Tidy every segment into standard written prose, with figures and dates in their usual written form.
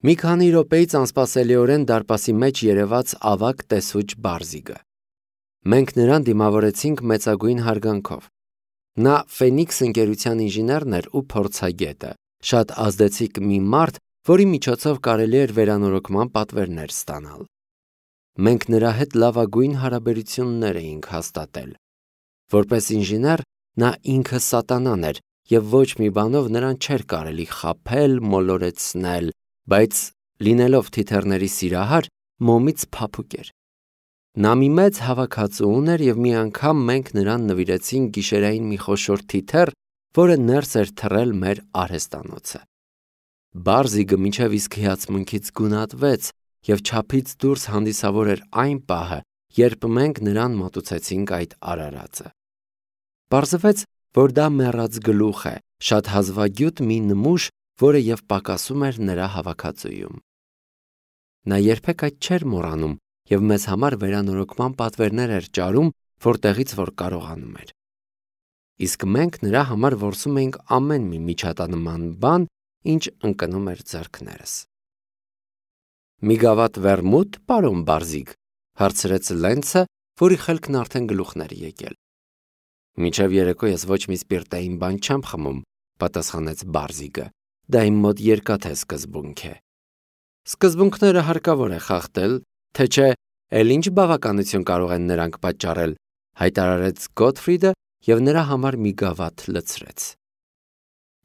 Մի քանի րոպեից անսպասելիորեն դարպասի մեջ երևաց ավագ տեսուչ Բարզիգը։ Մենք նրան դիմավորեցինք մեծագույն հարգանքով։ Նա Ֆենիքս ընկերության ինժեներն էր ու փորձագետը, շատ ազդեցիկ մի մարդ, որի միջոցով կարելի էր վերանորոգման պատվերներ ստանալ։ Մենք նրա հետ լավագույն հարաբերություններ էինք հաստատել։ Որպես ինժեներ նա ինքը սատանան էր և ոչ մի բանով նրան չէր կարելի խաբել, մոլորեցնել, բայց լինելով թիթեռների սիրահար, մոմից փափուկ էր։ Նա մի մեծ հավաքածու ուներ և մի անգամ մենք նրան նվիրեցինք գիշերային մի խոշոր թիթեռ, որը ներս էր թռել մեր արհեստանոցը։ Բարզիգը մինչև իսկ հիացմունքից գունատվեց և չափից դուրս հանդիսավոր էր այն պահը, երբ մենք նրան մատուցեցինք այդ արարածը։ Պարզվեց, որ դա մեռած գլուխ է, շատ հազվագյուտ մի նմուշ, որը և պակասում էր նրա հավաքածուում։ Նա երբեք այդ չէր մոռանում և մեզ համար վերանորոգման պատվերներ էր ճարում, որտեղից որ կարողանում էր։ Իսկ մենք նրա համար որսում էինք ամեն մի միջատանման բան, ինչ ընկնում էր ձեռքներս։ «Մի գավաթ վերմուտ, պարոն Բարզիգ», հարցրեց Լենցը, որի խելքն արդեն գլուխն էր եկել։ «Մինչև երեկո ես ոչ մի սպիրտային բան չեմ խմում», պատասխանեց Բարզիգը։ «Դա իմ մոտ երկաթե սկզբունք է»։ «Սկզբունքները հարկավոր է խախտել, թե չէ, էլ ինչ բավականություն կարող են նրանք պատճառել», հայտարարեց Գոթֆրիդը և նրա համար մի գավաթ լցրեց։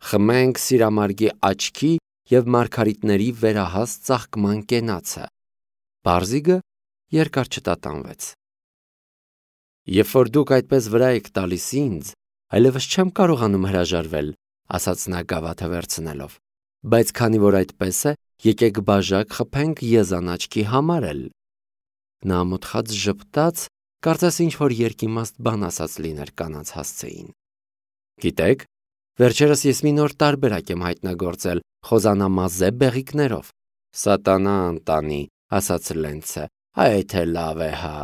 «Խմենք Սիրամարգի աչքի և մարգարիտների վերահաս ծաղկման կենացը»։ Բարզիգը երկար չտատանվեց։ «Երբ որ դուք այդպես վրա եք տալիս ինձ, այլևս չեմ կարողանում հրաժարվել», ասաց նա գավաթը վերցնելով, «բայց քանի որ այդպես է, եկեք բաժակ խփենք եզան աչքի համար էլ»։ Նա ամոթխած ժպտաց, կարծես ինչ-որ երկիմաստ բան ասած լիներ կանանց հասցեին։ «Գիտեք, վերջերս ես մի նոր տարբերակ եմ հայտնագործել խոզանամազե բեղիկներով»։ «Սատանա անտանի», ասաց Լենցը, «այդ է լավ է, հա։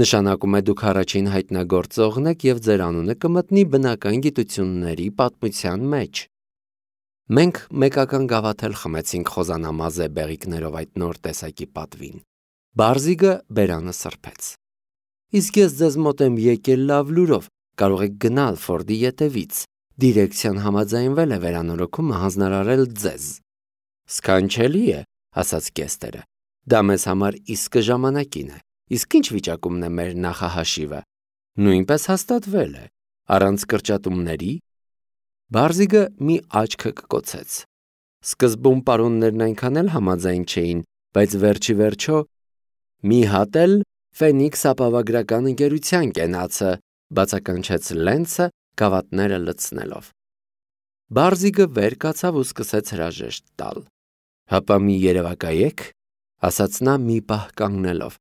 Նշանակում է դուք առաջին հայտնագործողն եք և ձեր անունը կմտնի բնական գիտությունների պատմության մեջ»։ Մենք մեկական գավաթ էլ խմեցինք խոզանամազե բեղիկներով այդ նոր տեսակի պատվին։ Բարզիգը բերանը սրբեց։ «Իսկ ես ձեզ մոտ եմ եկել լավ լուրով, կարող եք գնալ Ֆորդի ետևից, դիրեկցիան համաձայնվել է վերանորոգումը հանձնարարել ձեզ»։ «Սքանչելի է», ասաց կեստերը, «դա մեզ համար իսկը ժամանակին է, իսկ ինչ վիճակումն է մեր նախահաշիվը»։ «Նույնպես հաստատվել է, առանց կրճատումների»։ Բարզիգը մի աչքը կկոցեց։ Սկզբում պարոններն այնքան էլ համաձայն չէին, բայց վերջի վերջո «մի հատ էլ Ֆենիքս ապավագրական ընկերության կենացը», բացականչեց Լենցը գավաթները լցնելով։ Բարզիգը վեր կացավ ու սկսեց հրաժեշտ տալ։ «Հապա մի երևակայեք», ասաց նա մի պահ կանգնելով,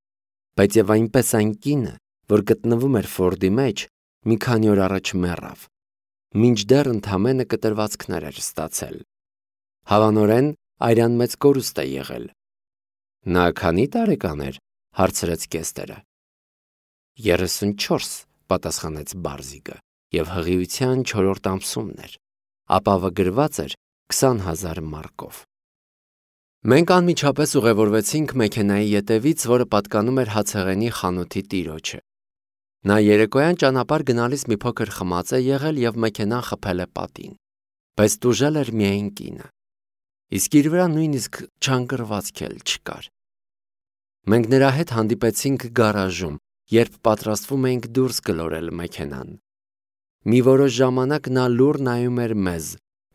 բայց և այնպես այն կինը, որ գտնվում էր Ֆորդի մեջ, մի քանի օր առաջ մեռավ, մինչդեռ ընդամենը կտրվածքներ էր ստացել։ Հավանորեն արյան մեծ կորուստ է եղել։ «Նա քանի տարեկան էր», հարցրեց կեստերը։ 34, պատասխանեց Բարզիգը, և հղիության 4-րդ ամսումն էր։ Ապավագրված էր 20,000 մարկով։ Մենք անմիջապես ուղևորվեցինք մեքենայի ետևից, որը պատկանում էր հացեղենի խանութի տիրոջը։ Նա երեկոյան ճանապարհ գնալիս մի փոքր խմած է եղել և մեքենան խփել է պատին, բայց տուժել էր միայն կինը, իսկ իր վրա նույնիսկ չանգռվածք էլ չկար։ Մենք նրա հետ հանդիպեցինք գարաժում, երբ պատրաստվում էինք դուրս գլորել մեքենան։ Մի որոշ ժամանակ նա լուռ նայում էր մեզ,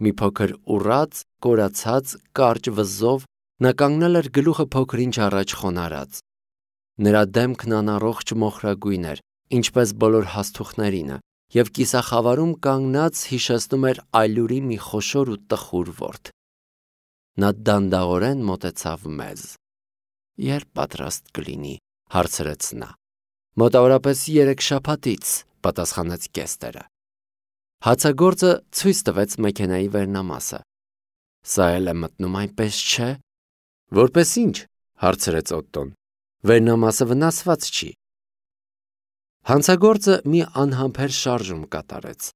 մի փոքր ուռած, կորացած, կարճ վզով, նա կանգնել էր գլուխը փոքր-ինչ առաջ խոնարհած։ Նրա դեմքն անառողջ մոխրագույն էր, ինչպես բոլոր հասթուխներինը, և կիսախավարում կանգնած հիշեցնում էր այլուրի մի խոշոր ու տխուր ворդ։ Նա դանդաղորեն մոտեցավ մեզ։ «Երբ պատրաստ կլինի», հարցրեց նա։ «Մոտավորապես 3 շաբաթից», պատասխանեց կեստերը։ Հացագործը ցույց տվեց մեքենայի վերնամասը։ «Սա էլ է մտնում այնպես, չէ՞»։ «Որպես ինչ», հարցրեց Օտտոն։ «Վերնամասը վնասված չի»։ Հանցագործը մի անհամբեր շարժում կատարեց։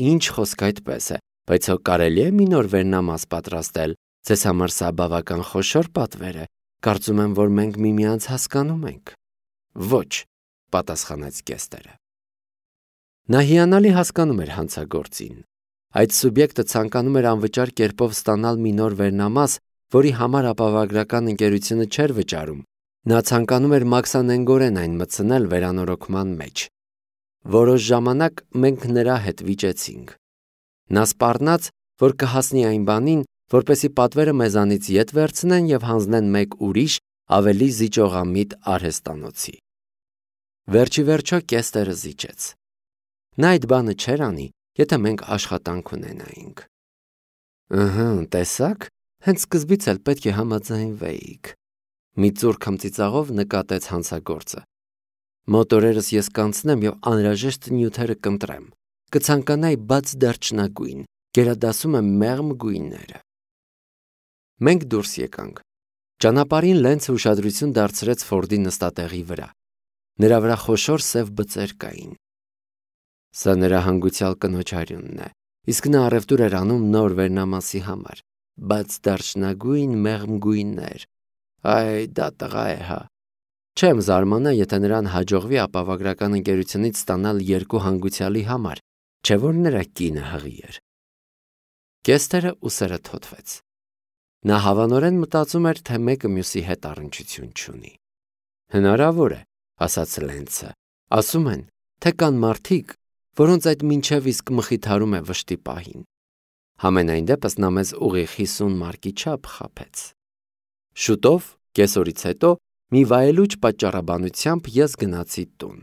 «Ինչ խոսք այդպես է, բայց հո կարելի է մի նոր վերնամաս պատրաստել, Ձեզ համար սա բավական խոշոր պատվեր է, կարծում եմ, որ մենք միմյանց հասկանում ենք։ Ոչ, պատասխանեց Կեստերը։ Նա հիանալի հասկանում էր հանցագործին։ Այդ սուբյեկտը ցանկանում էր անվճար կերպով ստանալ մի նոր վերնամաս, որի համար ապավագրական ընկերությունը չէր վճարում։ Նա ցանկանում էր մաքսանենգորեն այն մտցնել վերանորոգման մեջ։ Որոշ ժամանակ մենք նրա հետ վիճեցինք։ Նա սպառնաց, որ կհասնի այն բանին, որպեսզի պատվերը մեզանից ետ վերցնեն եւ հանձնեն մեկ ուրիշ, ավելի զիջողամիտ արհեստանոցի։ Վերջի վերջո Կեստերը զիջեց։ Նա այդ բանը չէր անի, եթե մենք աշխատանք ունենայինք։ Ըհը, տեսակ, հենց սկզբից էլ պետք է համաձայնվեիք։ Մի ծուռ քմծիծաղով նկատեց հանցագործը։ Մոտորերս ես կանցնեմ եւ անհրաժեշտ նյութերը կընտրեմ։ Կցանկանայի բաց դարչնագույն, գերադասում եմ մեղմ գույները։ Մենք դուրս եկանք։ Ճանապարհին Լենցը ուշադրություն դարձրեց Ֆորդի նստատեղի վրա։ Նրա վրա խոշոր սև բծեր կային։ Սա նրա հանգուցյալ կնոջ արյունն է, իսկ նա առևտուր էր անում նոր վերնամասի համար, բայց դարչնագույն մեղմ գույներ։ Այ դա տղա է, հա։ Չեմ զարմանա, եթե նրան հաջողվի ապավագրական ընկերությունից ստանալ երկու հանգուցյալի համար, չէ՞ որ նրա կինը հղի էր։ Կեստերը ուսերը թոթվեց։ Նա հավանորեն մտածում էր, թե մեկը մյուսի հետ առնչություն չունի։ Հնարավոր է, ասաց Լենցը։ Ասում են, թե կան մարդիկ, որոնց այդ մինչև իսկ մխիթարում է վշտի պահին։ Համենայն դեպս նա մեզ ուղիղ 50 մարկի չափ խաբեց։ Շուտով, կեսօրից հետո, մի վայելուչ պատճառաբանությամբ ես գնացի տուն։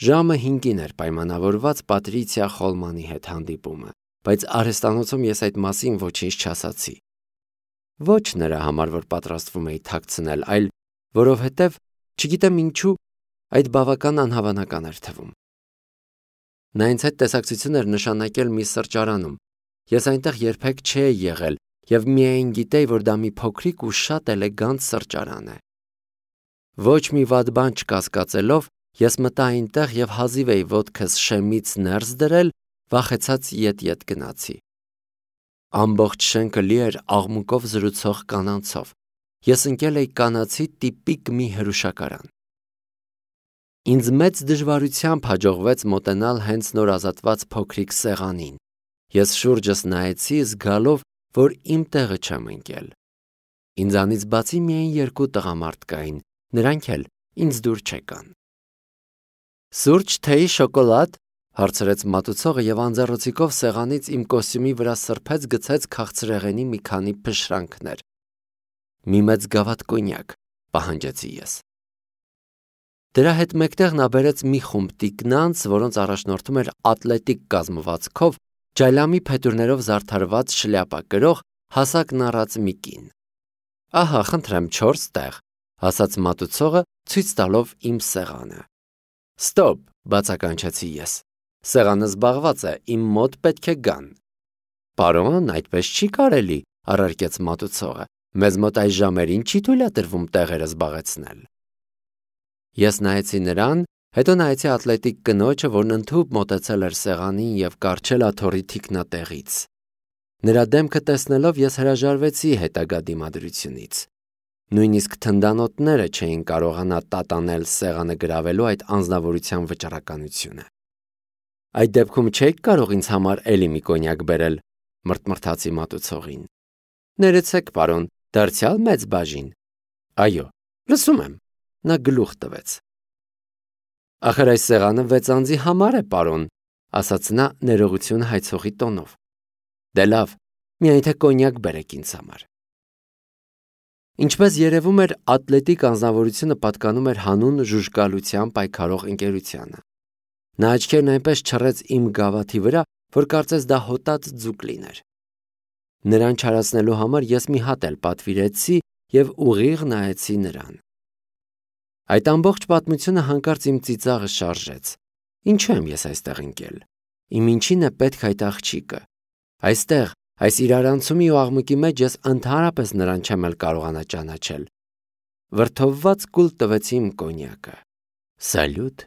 Ժամը 5-ին էր պայմանավորված Պատրիցիա Խոլմանի հետ հանդիպումը, բայց արհեստանոցում ես այդ մասին ոչինչ չասացի։ Ոչ նրա համար, որ պատրաստվում էի թաքցնել, այլ որովհետև, չգիտեմ ինչու, այդ բավական անհավանական էր թվում։ Նա ինձ հետ տեսակցություն էր նշանակել մի սրճարանում։ Ես այնտեղ երբեք չէի եղել եւ միայն գիտեի, որ դա մի փոքրիկ ու շատ էլեգանտ սրճարան է։ Ոչ մի վատ բան չկասկածելով, ես մտա այնտեղ եւ հազիվ էի ոտքս շեմից ներս դրել, վախեցած ետ գնացի։ Ամբողջ շենքը լի էր աղմուկով զրուցող կանանցով։ Ես ընկել էի կանացի տիպիկ մի հրուշակարան։ Ինձ մեծ դժվարությամբ հաջողվեց մոտենալ հենց նոր ազատված փոքրիկ սեղանին։ Ես շուրջս նայեցի, զգալով, որ իմ տեղը չեմ ընկել։ Ինձանից բացի միայն երկու տղամարդ կային, նրանք էլ ինձ դուր չեկան։ Սուրճ, թեյ, շոկոլադ, հարցրեց մատուցողը եւ անձեռոցիկով սեղանից իմ կոստյումի վրա սրբեց գցեց քաղցրեղենի մի քանի փշրանքներ։ Մի մեծ գավաթ կոնյակ, պահանջեցի ես։ Դրա հետ մեկտեղ նա բերեց մի խումբ տիկնանց, որոնց առաջնորդում էր ատլետիկ կազմվածքով, ջայլամի փետուրներով զարդարված շլյապա կրող, հասակ նառած մի կին։ Ահա, խնդրեմ 4 տեղ, ասաց մատուցողը, ցույց տալով իմ սեղանը։ Ստոպ, բացականչեցի ես։ Սեղանը զբաղված է, իմ մոտ պետք է գան։ Պարոն, այդպես չի կարելի, առարկեց մատուցողը։ Մեզ մոտ այս ժամերին չի թույլատրվում տեղերը զբաղեցնել։ Ես նայեցի նրան, հետո նայեցի ատլետիկ կնոջը, որն ընդհուպ մոտեցել էր սեղանին եւ կառչել աթոռի թիկնատեղից։ Նրա դեմքը տեսնելով ես հրաժարվեցի հետագա դիմադրությունից։ Նույնիսկ թնդանոթները չէին կարողանա տատանել սեղանը գրավելու այդ անձնավորության վճռականությունը։ Այդ դեպքում չեք կարող ինձ համար էլի մի կոնյակ բերել, մրթմրթացի մատուցողին։ Ներեցեք, պարոն, դարձյալ մեծ բաժին։ Այո, լսում եմ, նա գլուխ տվեց։ Ախր այս սեղանը 6 անձի համար է, պարոն, ասաց նա ներողություն հայցողի տոնով։ Դե լավ, միայն թե կոնյակ բերեք ինձ համար։ Ինչպես երևում էր, ատլետիկ անձնավորությունը պատկանում էր հանուն ժուժկալության պայքարող ընկերությանը։ Նա աչքերն այնպես չռեց իմ գավաթի վրա, որ կարծես դա հոտած ձուկ լիներ։ Նրան չարացնելու համար ես մի հատ էլ պատվիրեցի եւ ուղիղ նայեցի նրան։ Այդ ամբողջ պատմությունը հանկարծ իմ ծիծաղը շարժեց։ Ինչու եմ ես այստեղ ընկել։ Իմ ինչին է պետք այդ աղջիկը։ Այստեղ, այս իրարանցումի ու աղմուկի մեջ ես ընդհանրապես նրան չեմ էլ կարողանա ճանաչել։ Վրդովված կուլ տվեցի իմ կոնյակը։ Սալյուտ,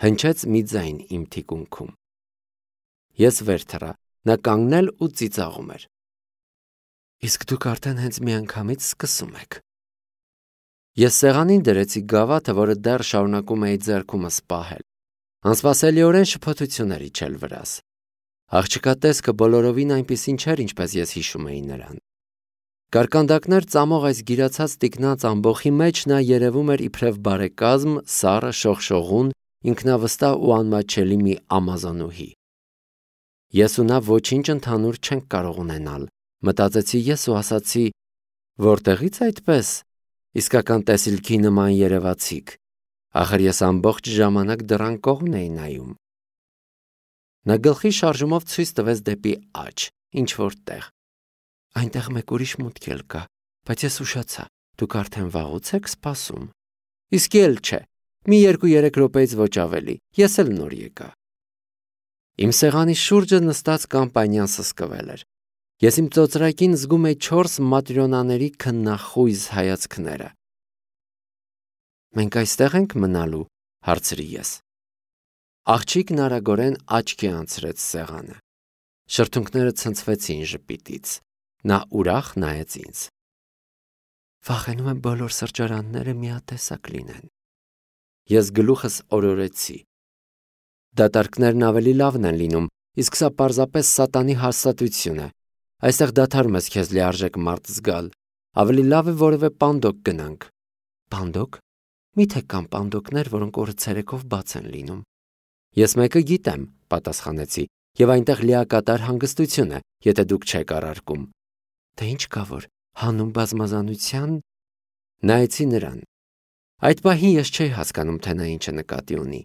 հնչեց մի ձայն իմ թիկունքում։ Ես վեր թռա, նա կանգնել ու ծիծաղում էր։ Իսկ դուք արդեն հենց միանգամից սկսում եք։ Ես սեղանին դրեցի գավաթը, որը դեռ շարունակում էի ձեռքումս պահել։ Անսպասելիորեն շփոթություններ իջել վրաս։ Աղջկա տեսքը բոլորովին այնպիսին չէր, ինչպես ես հիշում էի նրան։ Կարկանդակներ ծամող այս գիրացած տիկնած ամբոխի մեջ նա երևում էր իբրև բարեկազմ, սառը, շողշողուն, ինքնավստահ ու անմատչելի մի ամազոնուհի։ Ես ու նա ոչինչ ընդհանուր չենք կարող ունենալ, մտածեցի ես ու ասացի, որտեղից այդպես, իսկական տեսիլքի նման երևացիք, ախր ես ամբողջ ժամանակ դռան կողմն էի նայում։ Նա գլխի շարժումով ցույց տվեց դեպի աջ, ինչ-որ տեղ։ Այնտեղ մեկ ուրիշ մուտք էլ կա, բայց ես ուշացա, դուք արդեն վաղուց եք սպասում։ Իսկ էլ չէ, մի 2-3 րոպեից ոչ ավելի, ես էլ նոր եկա։ Իմ սեղանի շուրջը նստած կամպանիան սսկվել էր։ Ես իմ ծոծրակին զգում էի 4 մատրյոնաների քննախույզ հայացքները։ Մենք այստեղ ենք մնալու, հարցրի ես։ Աղջիկն արագորեն աչքի անցրեց սեղանը։ Շրթունքները ցնցվեցին ժպիտից։ Նա ուրախ նայեց ինձ։ Վախենում եմ բոլոր սրճարանները միատեսակ լինեն։ Ես գլուխս օրորեցի։ Դատարկներն ավելի լավն են լինում, իսկ սա պարզապես սատանի հաստատություն է։ Այստեղ դադարում ես քեզ լիարժեք մարդ զգալ։ Ավելի լավ է որևէ պանդոկ գնանք։ Պանդոկ։ Միթե կան պանդոկներ, որոնք օրը ցերեկով բաց են լինում։ Ես մեկը գիտեմ, պատասխանեցի, եւ այնտեղ լիակատար հանգստություն է, եթե դուք չեք առարկում։ Թե ինչ կա որ, հանուն բազմազանության նայեցի նրան։ Այդ պահին ես չէի հասկանում, թե նա ինչ է նկատի ունի։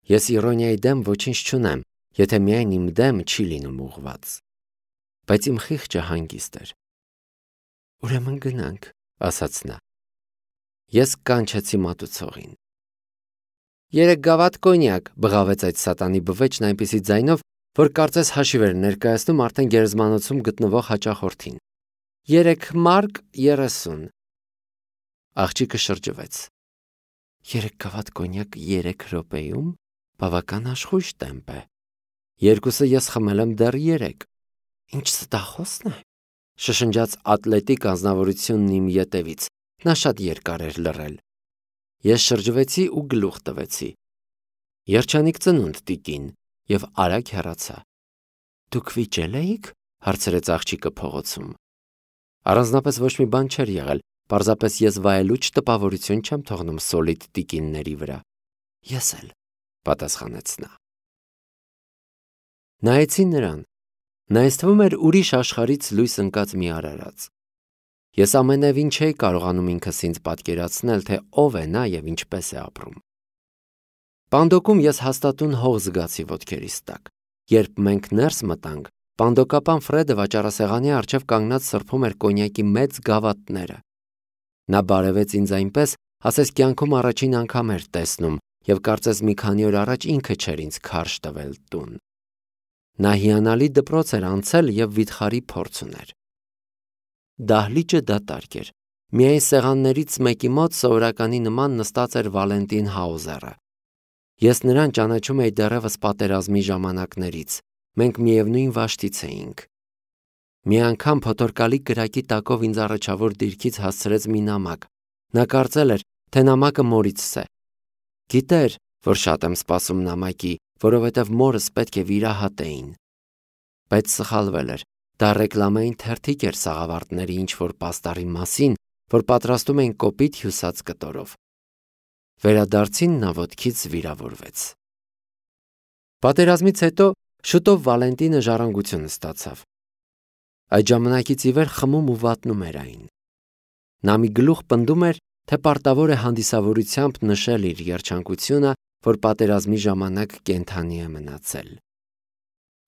Ես իրոնիայի դեմ ոչինչ չունեմ, եթե միայն իմ դեմ չի լինում ուղված։ Բայց իմ խիղճը հանգիստ էր։ Ուրեմն գնանք, ասաց նա։ Ես կանչեցի մատուցողին։ 3 գավաթ կոնյակ, բղավեց այդ սատանի բվեճն այնպիսի ձայնով, որ կարծես հաշիվ էր ներկայացնում արդեն գերեզմանոցում գտնվող հաճախորդին։ 3 մարկ 30։ Աղջիկը շրջվեց։ 3 գավաթ կոնյակ 3 րոպեում, բավական աշխույժ տեմպ է։ Երկուսը ես խմել եմ դեռ 3։ Ինչ ստախոսն է, շշնջաց ատլետիկ անձնավորությունն իմ ետևից, նա շատ երկար էր լռել։ Ես շրջվեցի ու գլուխ տվեցի։ Երջանիկ ծնունդ տիկին, եւ արագ հեռացա։ Դուք վիճել էիք, հարցրեց աղջիկը փողոցում։ Առանձնապես ոչ մի բան չէր եղել, պարզապես ես վայելուչ տպավորություն չեմ թողնում սոլիդ տիկինների վրա։ Ես էլ, պատասխանեց նա։ Նայեցի նրան։ Նա ինձ թվում էր ուրիշ աշխարհից լույս ընկած մի արարած։ Ես ամենևին չէի կարողանում ինքս ինձ պատկերացնել, թե ով է նա եւ ինչպես է ապրում։ Պանդոկում ես հաստատուն հող զգացի ոտքերիս տակ։ Երբ մենք ներս մտանք, պանդոկապան Ֆրեդը վաճառասեղանի առջև կանգնած սրբում էր կոնյակի մեծ գավաթները։ Նա բարևեց ինձ այնպես, ասես կյանքում առաջին անգամ էր տեսնում եւ կարծես մի քանի օր առաջ ինքը չէր ինձ քարշ տվել տուն։ Նա հիանալի դպրոց էր անցել եւ վիթխարի փորձ ուներ։ Դահլիճը դատարկ էր։ Միայն սեղաններից մեկի մոտ սովորականի նման նստած էր Վալենտին Հաուզերը։ Ես նրան ճանաչում էի դեռևս պատերազմի ժամանակներից։ Մենք միևնույն վաշտից էինք։ Մի անգամ փոթորկալի կրակի տակով ինձ առաջավոր դիրքից հասցրեց մի նամակ։ Նա կարծել էր, թե նամակը մորիցս է։ Գիտեր, որ շատ եմ սպասում նամակի, որովհետև մորս պետք է վիրահատեին։ Բայց սխալվել էր։ Դա ռեկլամային թերթիկ էր սաղավարտների ինչ-որ պաստառի մասին, որ պատրաստում էին կոպիտ հյուսած կտորով։ Վերադարձին նա ոտքից վիրավորվեց։ Պատերազմից հետո շուտով Վալենտինը ժառանգություն ստացավ։ Այդ ժամանակից ի վեր խմում ու վատնում էր այն։ Նա մի գլուխ պնդում էր, թե պարտավոր է հանդիսավորությամբ նշել իր երջանկությունը, որ պատերազմի ժամանակ կենդանի է մնացել։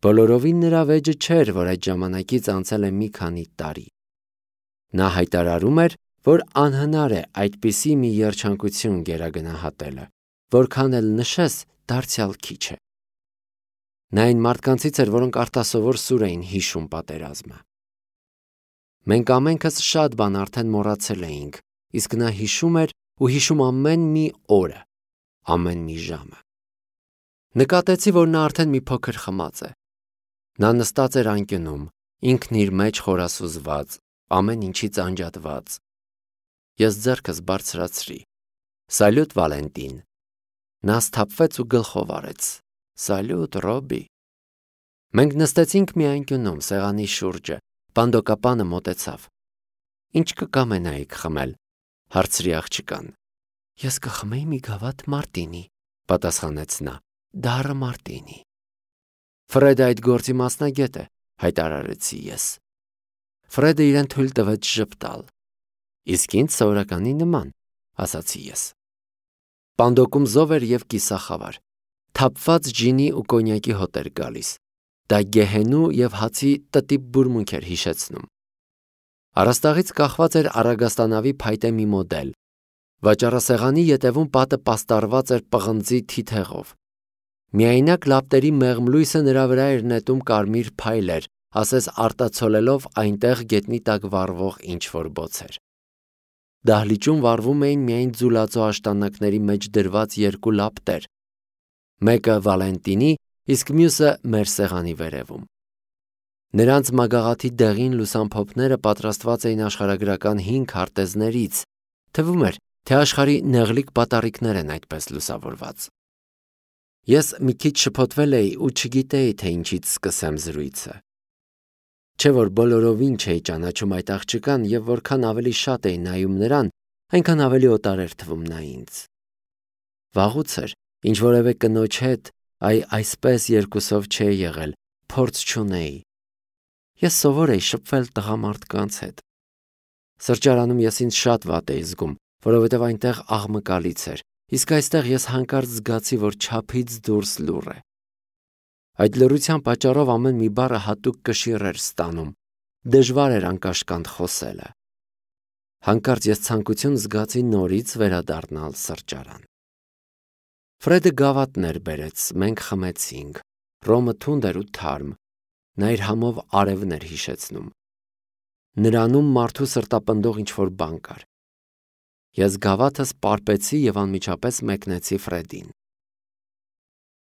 Բոլորովին նրա վեճը չէր, որ այդ ժամանակից անցել է մի քանի տարի։ Նա հայտարարում էր, որ անհնար է այդպիսի մի երջանկություն գերագնահատելը, որքան էլ նշես, դարձյալ քիչ է։ Նա այն մարդկանցից էր, որոնք արտասովոր սուր էին հիշում պատերազմը։ Մենք ամենքս շատ բան արդեն մոռացել էինք, իսկ նա հիշում էր ու հիշում ամեն մի օրը, ամեն մի ժամը։ Նկատեցի, որ նա արդեն մի փոքր խմած է։ Նա նստած էր անկյունում, ինքն իր մեջ խորասուզված, ամեն ինչից անջատված։ Ես ձեռքս բարձրացրի։ Սալյուտ Վալենտին։ Նա սթափվեց ու գլխով արեց։ Սալյուտ Ռոբի։ Մենք նստեցինք մի անկյունում սեղանի շուրջը, պանդոկապանը մոտեցավ։ Ինչ կկամենայիք խմել, հարցրի աղջկան։ Ես կխմեի մի գավաթ մարտինի, պատասխանեց նա, դառը մարտինի։ Ֆրեդը այդ գործի մասնագետ է, հայտարարեցի ես։ Ֆրեդը իրեն թույլ տվեց ժպտալ։ Իսկ ինձ սովորականի նման, ասացի ես։ Պանդոկում զով էր և կիսախավար։ Թափված ջինի ու կոնյակի հոտ էր գալիս։ Դա գեհենու և հացի տտիպ բուրմունք էր հիշեցնում։ Առաստաղից կախված էր առագաստանավի փայտե մի մոդել։ Վաճառասեղանի ետևում պատը պաստառված էր պղնձի թիթեղով։ Միայնակ լապտերի մեղմ լույսը նրա վրա էր նետում կարմիր փայլեր, ասես արտացոլելով այնտեղ գետնի տակ վառվող ինչ-որ բոցեր։ Դահլիճում վառվում էին միայն ձուլածո աշտանակների մեջ դրված երկու լապտեր, մեկը Վալենտինի, իսկ մյուսը մեր սեղանի վերևում։ Նրանց մագաղաթի դեղին լուսամփոփները պատրաստված էին աշխարհագրական 5 քարտեզներից, թվում էր, թե աշխարհի նեղլիկ պատառիկներ են այդպես լուսավորված։ Ես մի քիչ շփոթվել էի ու չգիտեի, թե ինչից սկսեմ զրույցը։ Չէ որ բոլորովին չէի ճանաչում այդ աղջկան և որքան ավելի շատ էի նայում նրան, այնքան ավելի օտար էր թվում նա ինձ։ Վաղուց էր, ինչ որևէ կնոջ հետ, այսպես երկուսով չէի եղել, փորձ չունեի։ Ես սովոր էի շփվել տղամարդկանց հետ։ Սրճարանում ես ինձ շատ վատ էի զգում, որովհետև այնտեղ աղմկալից էր, իսկ այստեղ ես հանկարծ զգացի, որ չափից դուրս լուռ է։ Այդ լռության պատճառով ամեն մի բառը հատուկ կշիռ էր ստանում, դժվար էր անկաշկանդ խոսելը։ Հանկարծ ես ցանկություն զգացի նորից վերադառնալ սրճարան։ Ֆրեդը գավաթներ բերեց, մենք խմեցինք։ Ռոմը թունդ էր ու թարմ, նա իր համով արևն էր հիշեցնում։ Նրանում մարդու սրտապնդող ինչ-որ բան կար։ Ես գավաթս պարպեցի և անմիջապես մեկնեցի Ֆրեդին։